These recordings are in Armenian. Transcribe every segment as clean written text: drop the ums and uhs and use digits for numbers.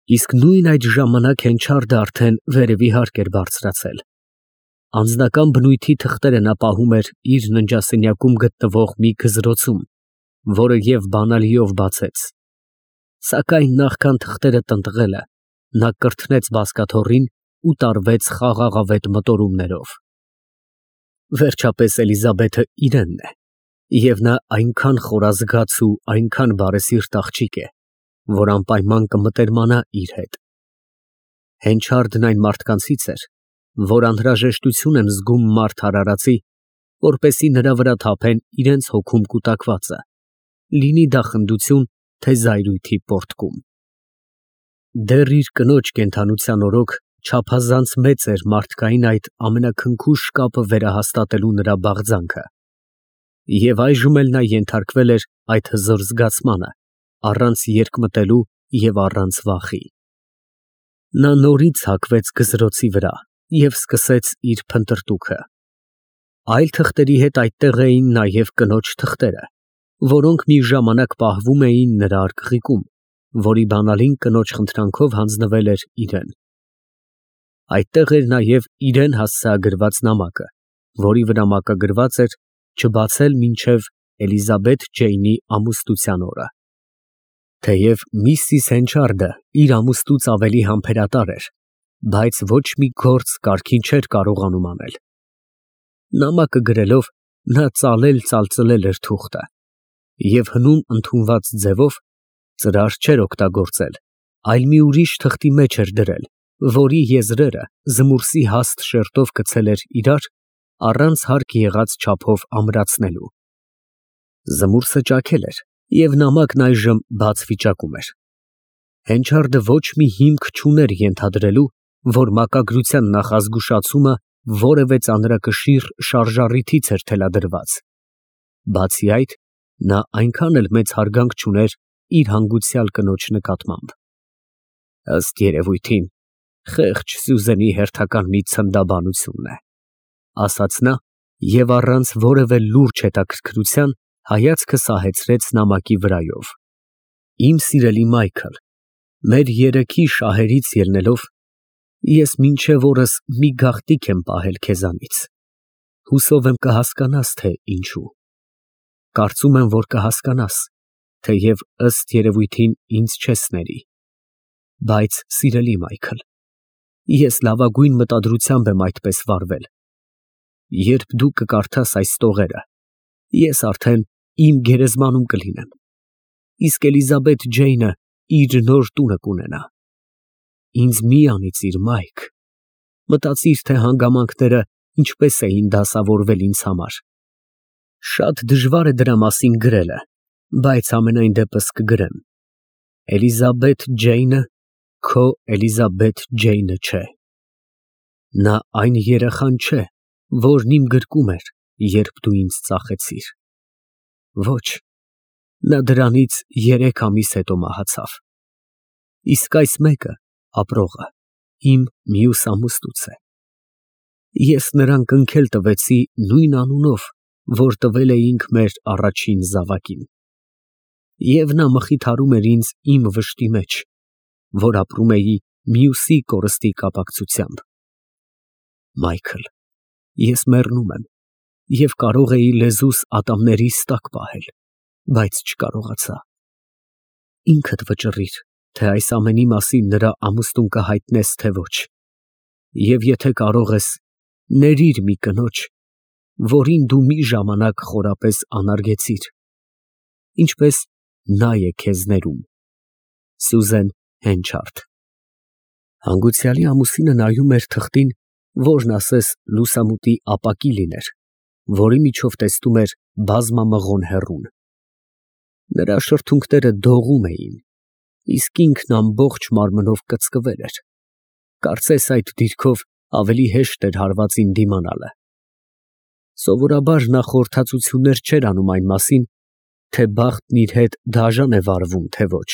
Իսկ նույն այդ ժամանակ Հենչարդը արդեն վերևի հարկ էր բարձրացել։ Անձնական բնույթի թղթերը նա պահում էր իր ննջասենյակում գտնվող մի գզրոցում, որը և բանալիով բացեց։ Սակայն նախքան թղթերը տնտղելը, նա կրթնեց բազկաթոռին ու տարվեց խաղաղավետ մտորումներով։ Վերջապես Էլիզաբեթը իրենն է, և նա այնքան խորազգաց ու այնքան բարեսիրտ աղջիկ է, որ անպայման կմտերմանա իր հետ։ Հենչարդն այն մարդկանցից էր, որ անհրաժեշտություն են զգում մարդ արարածի, որպեսզի նրա վրա թափեն իրենց հոգում կուտակվածը, լինի դա խնդություն, թե զայրույթի պոռթկում։ Դեռ իր կնոջ կենդանության օրոք չափազանց մեծ էր մարդկային այդ ամենաքնքուշ կապը վերահաստատելու նրա բաղձանքը, և այժմ էլ նա ենթարկվել էր այդ հզոր զգացմանը, առանց երկմտելու և առանց վախի։ Նա նորից հագվեց գզրոցի վրա և սկսեց իր փնտրտուքը։ Այլ թղթերի հետ այդտեղ էին նաև կնոջ թղթերը, որոնք մի ժամանակ պահվում էին նրա արկղիկում, որի բանալին կնոջ խնդրանքով հանձնվել էր իրան։ Այդտեղ էր նաև իրան հասցեագրված նամակը, որի վրա մակագրված էր չբացել մինչև Էլիզաբեթ Ջեյնի ամուսնության օրը։ Թեև միսիս Հենչարդը իր ամուսնուց ավելի համբերատար էր, բայց ոչ մի գործ կարգին չէր կարողանում անել։ Նամակը գրելով նա ծալել էր թուղթը և հնում ընդունված ձևով ծրար չէր օգտագործել, այլ մի ուրիշ թղթի մեջ էր դրել, որի եզրերը զմուրսի հաստ շերտով գցել էր իրար, առանց հարկ եղած չափով ամրացնելու։ Զմուրսը ճաքել էր, և նամակն այժմ բաց վիճակում էր։ Հենչարդը ոչ մի հիմք չուներ ենթադրելու, որ մակագրության նախազգուշացումը որևէ ծանրակշիռ շարժառիթից էր թելադրված։ Բացի այդ, նա այնքան էլ մեծ հարգանք չուներ իր հանգուցյալ կնոջ նկատմամբ։ Ըստ երևույթին, խեղճ Սյուզենի հերթական մի ցնդաբանությունն է, ասաց նա և առանց որևէ լուրջ հետաքրքրության հայացքը սահեցրեց նամակի վրայով։ Իմ սիրելի Մայքլ, մեր երեքի շահերից ելնելով, ես մինչև օրս մի գաղտնիք եմ պահել քեզանից։ Հուսով եմ կհասկանաս, թե ինչու։ Կարծում եմ, որ կհասկանաս, թեև ըստ երևույթին ինձ չես ների։ Բայց, սիրելի Մայքլ, ես լավագույն մտադրությամբ եմ այդպես վարվել։ Երբ դու կկարդաս այս տողերը, ես արդեն իմ գերեզմանում կլինեմ, իսկ Էլիզաբեթ Ջեյնը իր նոր տունը կունենա։ Ինձ մի անիծիր, Մայք, մտածիր, թե հանգամանքները ինչպես էին դասավորվել ինձ համար։ Շատ դժվար է դրա մասին գրելը, բայց ամենայն դեպս կգրեմ. Էլիզաբեթ Ջեյնը քո Էլիզաբեթ Ջեյնը չէ։ Նա այն երեխան չէ, որն իմ գրկում էր, երբ դու ինձ ծախեցիր։ Ոչ, նա դրանից 3 ամիս հետո մահացավ։ Իսկ այս մեկը, ապրողը, իմ մյուս ամուսնուց է։ Ես նրան կնքել տվեցի նույն անունով, որ տվել էինք մեր առաջին զավակին։ Եվ նա մխիթարում էր ինձ իմ վշտի մեջ, որ ապրում էի մյուսի կորստի կապակցությամբ։ Մայքլ, ես մեռնում եմ և կարող էի լեզուս ատամներիս տակ պահել, բայց չկարողացա։ Ինքդ վճռիր, թե այս ամենի մասին նրա ամուսնուն կհայտնես, թե ոչ, և եթե կարող ես, ներիր մի կնոջ, որին դու մի ժամանակ խորապես անարգեցիր, ինչպես նա է քեզ ներում։ Սյուզեն Հենչարդ։ Հանգուցյալի ամուսինը նայում էր թղթին, որն ասես լուսամուտի ապակի լիներ, որի միջով տեսնում էր բազմամղոն հեռուն։ Նրա շրթունքները դողում էին, իսկ ինքն ամբողջ մարմնով կծկվել էր։ Կարծես այդ դիրքով ավելի հեշտ էր հարվածին դիմանալը։ Սովորաբար նա խորհրդածություններ չէր անում այն մասին, թե բախտն իր հետ դաժան է վարվում, թե ոչ։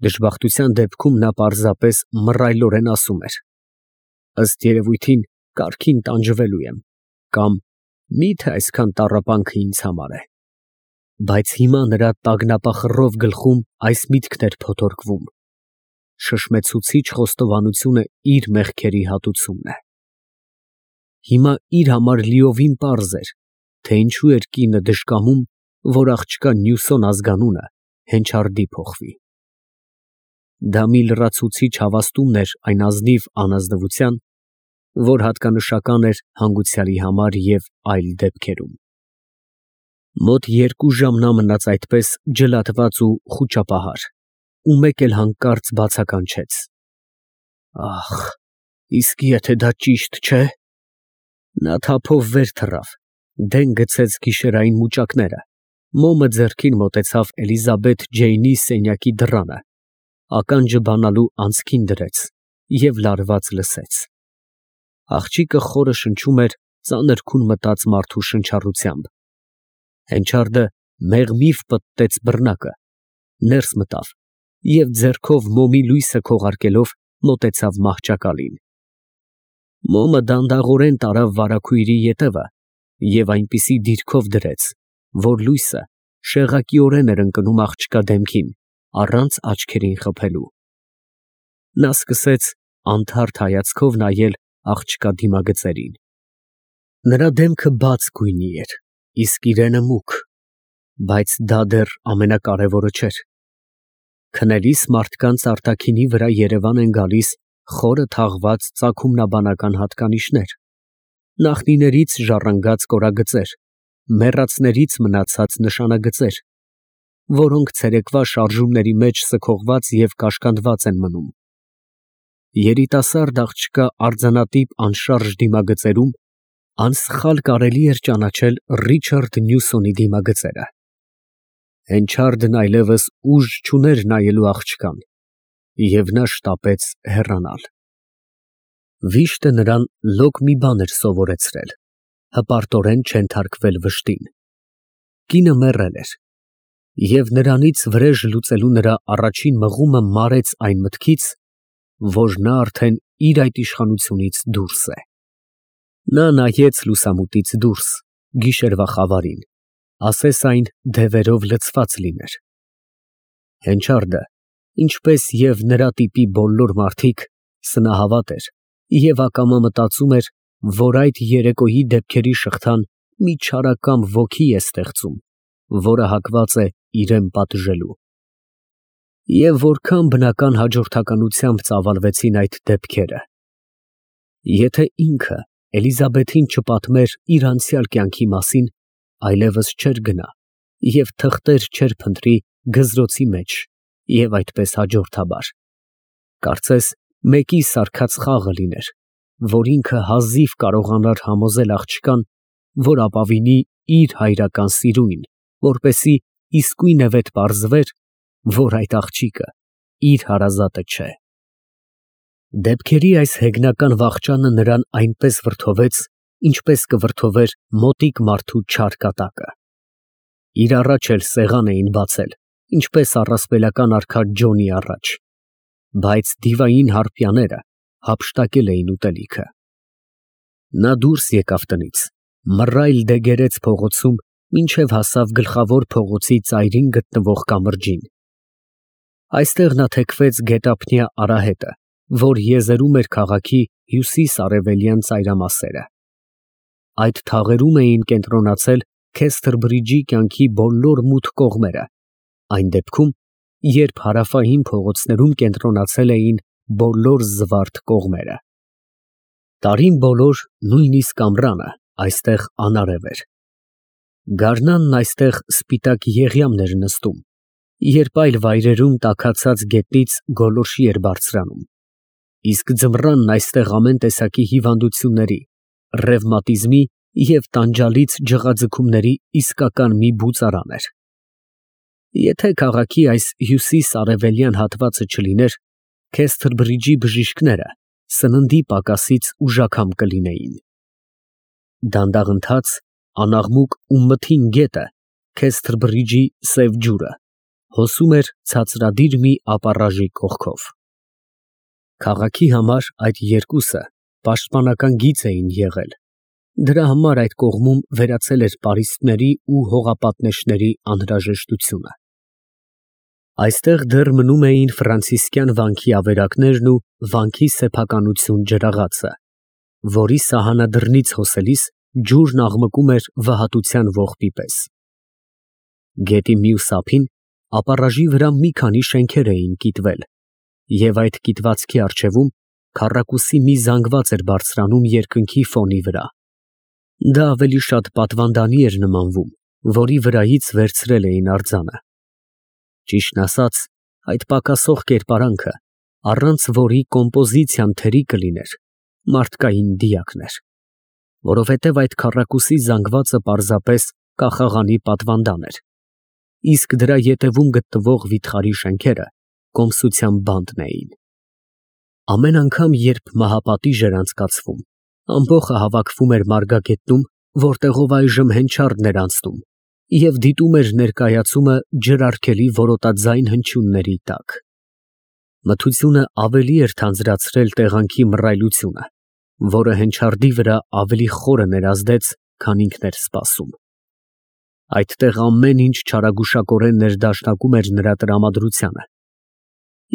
Դժբախտության դեպքում նա պարզապես մռայլորեն ասում էր. ըստ երևույթին կարգին տանջվելու եմ, կամ միթե այսքան տառապանքը ինձ համար է։ Բայց հիմա նրա տագնապախռով գլխում այս միտքն էր փոթորկվում. շշմեցուցիչ խոստովանությունը իր մեղքերի հատուցումն է։ Հիմա իր համար լիովին պարզ էր, թե ինչու էր կինը դժկամում, որ աղջկա Նյուսոն ազգանունը Հենչարդի փոխվի։ Դա մի լրացուցիչ հավաստումն էր այն ազնիվ անազնվության, որ հատկանշական էր հանգուցյալի համար և այլ դեպքերում։ Մոտ 2 ժամ նա մնաց այդպես ջլատված ու խուճապահար, ու մեկ էլ հանկարծ բացականչեց. «Ախ, իսկ եթե դա ճիշտ չէ»։ Նա թափով վեր թռավ, դեն գցեց գիշերային մուճակները, մոմը ձեռքին մոտեցավ Էլիզաբեթ Ջեյնի սենյակի դռանը, ականջը բանալու անցքին դրեց և լարված լսեց։ Աղջիկը խորը շնչում էր ծանր քուն մտած մարդու շնչառությամբ։ Հենչարդը մեղմիվ պտտեց բռնակը, ներս մտավ և ձեռքով մոմի լույսը քողարկելով մոտեցավ մահճակալին։ Մոմը դանդաղորեն տարավ վարագույրի ետևը և այնպիսի դիրքով դրեց, որ լույսը շեղակիորեն էր ընկնում աղջկա դեմքին, առանց աչքերին խփելու։ Նա սկսեց անթարթ հայացքով նայել աղջկա դիմագծերին։ Նրա դեմքը բաց գույնի էր, իսկ իրենը մուգ, բայց դա դեռ ամենակարևորը չէր։ Քնելիս մարդկանց արտաքինի վրա երևան են գալիս խորը թաղված ծագումնաբանական հատկանիշներ, նախնիներից ժառանգած կորագծեր, մեռածներից մնացած նշանագծեր, որոնք ցերեկվա շարժումների մեջ սքողված և կաշկանդված են մնում։ Երիտասարդ աղջկա արձանատիպ անշարժ դիմագծերում անսխալ կարելի էր ճանաչել Ռիչարդ Նյուսոնի դիմագծերը։ Հենչարդն այլևս ուժ չուներ նայելու աղջկան, և նա շտապեց հեռանալ։ Վիշտը նրան լոկ մի բան էր սովորեցրել՝ հպարտորեն չենթարկվել վշտին։ Կինը մեռել էր, և նրանից վրեժ լուծելու նրա առաջին մղումը մարեց այն մտքից, որ նա արդեն իր այդ իշխանությունից դուրս է։ Նա նայեց լուսամուտից դուրս, գիշերվա խավարին, ասես այն դևերով լցված լիներ։ Հենչարդը, ինչպես և նրա տիպի բոլոր մարդիկ, սնահավատ էր և ակամա մտածում էր, որ այդ երեկոյի դեպքերի շղթան մի չարակամ ոգի է ստեղծում, որը հակված է իրան պատժելու։ Եվ որքան բնական հաջորդականությամբ ծավալվեցին այդ դեպքերը։ Եթե ինքը Էլիզաբեթին չպատմեր իր անցյալ կյանքի մասին, այլևս չէր գնա և թղթեր չէր փնտրի գզրոցի մեջ և այդպես հաջորդաբար։ Կարծես մեկի սարքած խաղը լիներ, որ ինքը հազիվ կարողանար համոզել աղջկան, որ ապավինի իր հայրական սիրույն, որպեսզի իսկույնևեթ պարզվեր, որ այդ աղջիկը իր հարազատը չէ։ Դեպքերի այս հեգնական վախճանը նրան այնպես վրդովեց, ինչպես կվրդովեր մոտիկ մարդու չար կատակը։ Իր առաջ էլ սեղան էին բացել, ինչպես առասպելական արքա Ջոնի առաջ, բայց դիվային հարպյաները հափշտակել էին ուտելիքը։ Նա դուրս եկավ տնից, մռայլ դեգերեց փողոցում, մինչև հասավ գլխավոր փողոցի ծայրին գտնվող կամրջին։ Այստեղ նա թեքվեց գետափնյա արահետը, որ եզերում էր քաղաքի հյուսիս֊արևելյան ծայրամասերը։ Այդ թաղերում էին կենտրոնացել Քեսթրբրիջի կյանքի բոլոր մութ կողմերը, այն դեպքում, երբ հարավային փողոցներում կենտրոնացել էին բոլոր զվարթ կողմերը։ Տարին բոլոր, նույնիսկ ամռանը, այստեղ անարև էր։ Գարնանն այստեղ սպիտակ եղյամն էր նստում, երբ այլ վայրերում տաքացած գետնից գոլորշի էր բարձրանում, իսկ ձմռանն այստեղ ամեն տեսակի հիվանդությունների, ռևմատիզմի և տանջալից ջղաձգումների իսկական մի բուծարան էր։ Եթե քաղաքի այս հյուսիս֊արևելյան հատվածը չլիներ, Քեսթրբրիջի բժիշկները սննդի պակասից ուժաքամ կլինեին։ Դանդաղընթաց, անաղմուկ ու մթին գետը, Քեսթրբրիջի սև ջուրը, հոսում էր ցածրադիր մի ապառաժի կողքով։ Քաղաքի համար այդ երկուսը պաշտպանական գիծ էին եղել, դրա համար այդ կողմում վերացել էր պարիսպների ու հողապատնեշների անհրաժեշտությունը։ Այստեղ դեռ մնում էին ֆրանցիսկյան վանքի ավերակներն ու վանքի սեփականություն ջրաղացը, որի սահանադրնից հոսելիս ջուրն աղմկում էր վհատության ողբի պես։ Գետի մյուս ափին ապառաժի վրա մի քանի շենքեր էին կիտվել, և այդ կիտվածքի առջևում քառակուսի մի զանգված էր բարձրանում երկնքի ֆոնի վրա։ Դա ավելի շատ պատվանդանի էր նմանվում, որի վրայից վերցրել էին արձանը։ Ճիշտն ասած, այդ պակասող կերպարանքը, առանց որի կոմպոզիցիան թերի կլիներ, մարդկային դիակն էր, որովհետև այդ քառակուսի զանգվածը պարզապես կախաղանի պատվանդան էր, իսկ դրա ետևում գտնվող վիթխարի շենքերը կոմսության բանտն էին։ Ամեն անգամ, երբ մահապատիժ էր անցկացվում, ամբոխը հավաքվում էր մարգագետնում, որտեղով այժմ հենչարդն էր անցնում, և դիտում էր ներկայացումը ջրարգելի որոտաձայն հնչյունների տակ։ Մթությունը ավելի էր թանձրացրել տեղանքի մռայլությունը, որը հենչարդի վրա ավելի խորը ներազդեց, քան ինքն էր սպասում։ Այդտեղ ամեն ինչ չարագուշակորեն ներդաշնակում էր նրա տրամադրությանը,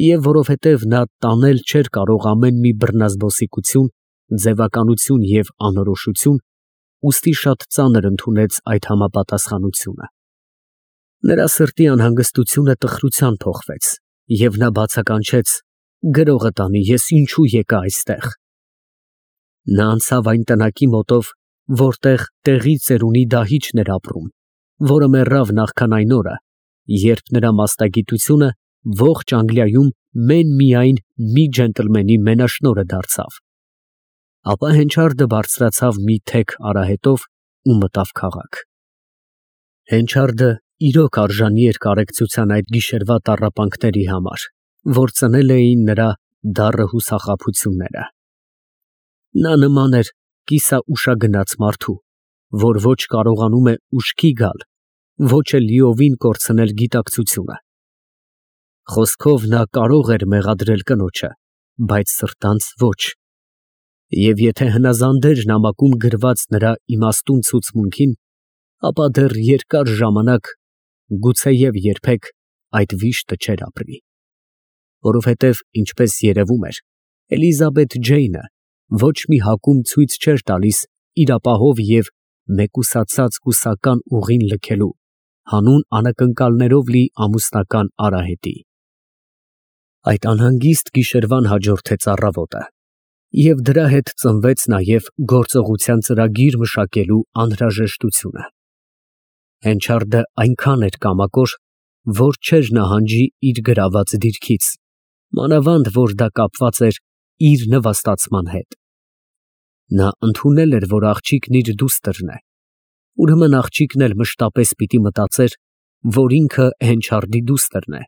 և որովհետև նա տանել չէր կարող ամեն մի բռնազբոսիկություն, ձևականություն և անորոշություն, ուստի շատ ծանր ընդունեց այդ համապատասխանությունը։ Նրա սրտի անհանգստությունը տխրության փոխվեց, և նա բացականչեց. «Գրողը տանի, ես ինչու եկա այստեղ»։ Նա անցավ այն տնակի մոտով, որտեղ տեղի ծերունի դահիճն էր ապրում, որը մեռավ նախքան այն օրը, երբ նրա մասնագիտությունը ողջ Անգլիայում մեն֊միայն մի ջենտլմենի մենաշնորհը դարձավ։ Ապա հենչարդը բարձրացավ մի թեք արահետով ու մտավ քաղաք։ Հենչարդը իրոք արժանի էր կարեկցության այդ գիշերվա տառապանքների համար, որ ծնել էին նրա դառը հուսախաբությունները։ Նա նման էր կիսաուշագնաց մարդու, որ ոչ կարողանում է ուշքի գալ, ոչ էլ լիովին կորցնել գիտակցությունը։ Խոսքով նա կարող էր մեղադրել կնոջը, բայց սրտանց ոչ, և եթե հնազանդեր նամակում գրված նրա իմաստուն ցուցմունքին, ապա դեռ երկար ժամանակ, գուցեև երբեք այդ վիշտը չէր ապրի, որովհետև, ինչպես երևում էր, Էլիզաբեթ Ջեյնը ոչ մի հակում ցույց չէր տալիս իր ապահով և մեկուսացած հուսական ուղին լքելու հանուն անակնկալներով լի ամուսնական արահետի։ Այդ անհանգիստ գիշերվան հաջորդեց առավոտը, և դրա հետ ծնվեց նաև գործողության ծրագիր մշակելու անհրաժեշտությունը։ Հենչարդը այնքան էր կամակոր, որ չէր նահանջի իր գրաված դիրքից, մանավանդ որ դա կապված էր իր նվաստացման հետ։ Նա ընդունել էր, որ աղջիկն իր դուստրն է, ուրեմն աղջիկն էլ մշտապես պիտի մտածեր, որ ինքը հենչարդի դուստրն է,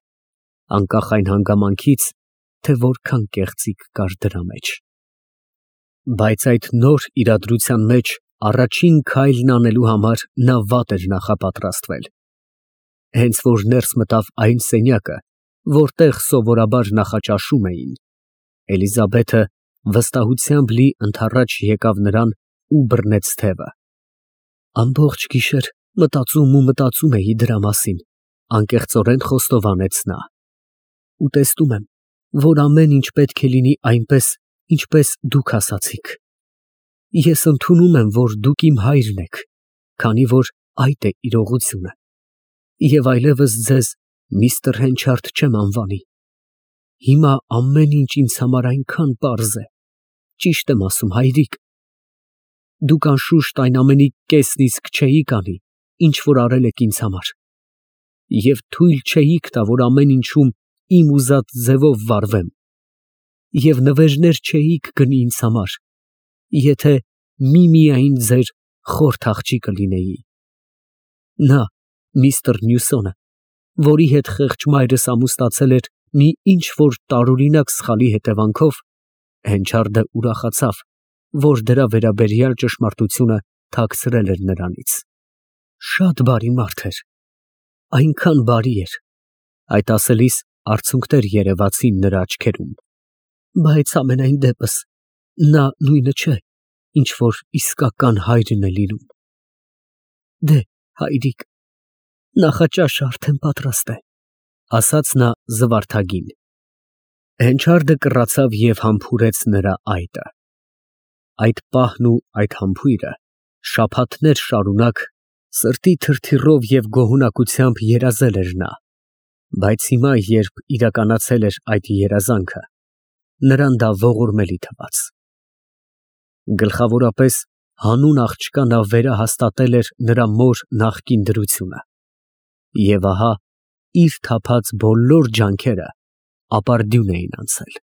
անկախ այն հանգամանքից, թե որքան կեղծիք կար դրա մեջ։ Բայց այդ նոր իրադրության մեջ առաջին քայլն անելու համար նա վատ էր նախապատրաստվել։ Հենց որ ներս մտավ այն սենյակը, որտեղ սովորաբար նախաճաշում էին, Էլիզաբեթը վստահությամբ լի ընդառաջ եկավ նրան ու բռնեց թևը։ Ամբողջ գիշեր մտածում էի դրա մասին, անկեղծորեն խոստովանեց նա։ Ու տեսնում եմ, որ ամեն ինչ պետք է լինի այնպես, ինչպես դուք ասացիք։ Ես ընդունում եմ, որ դուք իմ հայրն եք, քանի որ այդ է իրողությունը, և այլևս ձեզ միստր Հենչարդ չեմ անվանի։ Հիմա ամեն ինչ ինձ համար այնքան պարզ է, ճիշտ եմ ասում, հայրիկ։ Դուք անշուշտ այն ամենի կեսն իսկ չէիք անի, ինչ որ արել եք ինձ համար, և թույլ չէիք տա, որ ամեն ինչում իմ ուզած ձևով վարվեմ, և նվերներ չէիք գնի ինձ համար, եթե միմիայն ձեր խորթ աղջիկը լինեի։ Նա, միստր Նյուսոնը, որի հետ խեղճ մայրս ամուսնացել էր մի ինչ֊որ տարօրինակ սխալի հետևանքով, Հենչարդը ուրախացավ, որ դրա վերաբերյալ ճշմարտությունը թաքցրել էր նրանից։ Շատ բարի մարդ էր, այնքան բարի էր։ Այդ ասելիս արցունքներ երևացին նրա աչքերում։ Բայց ամենայն դեպս նա նույնը չէ, ինչ որ իսկական հայրն է լինում։ Դե, հայրիկ, նախաճաշը արդեն պատրաստ է։ ասաց նա զվարթագին։ Հենչարդը կռացավ և համբուրեց նրա այտը։ Այդ պահն ու այդ համբույրը շաբաթներ շարունակ սրտի թրթիռով և գոհունակությամբ երազել էր նա, բայց հիմա, երբ իրականացել էր այդ երազանքը, նրան դա ողորմելի թվաց։ Գլխավորապես հանուն աղջկա նա վերահաստատել էր նրա մոր նախկին դրությունը, և ահա իր թափած բոլոր ջանքերը ապարդյուն էին անցել։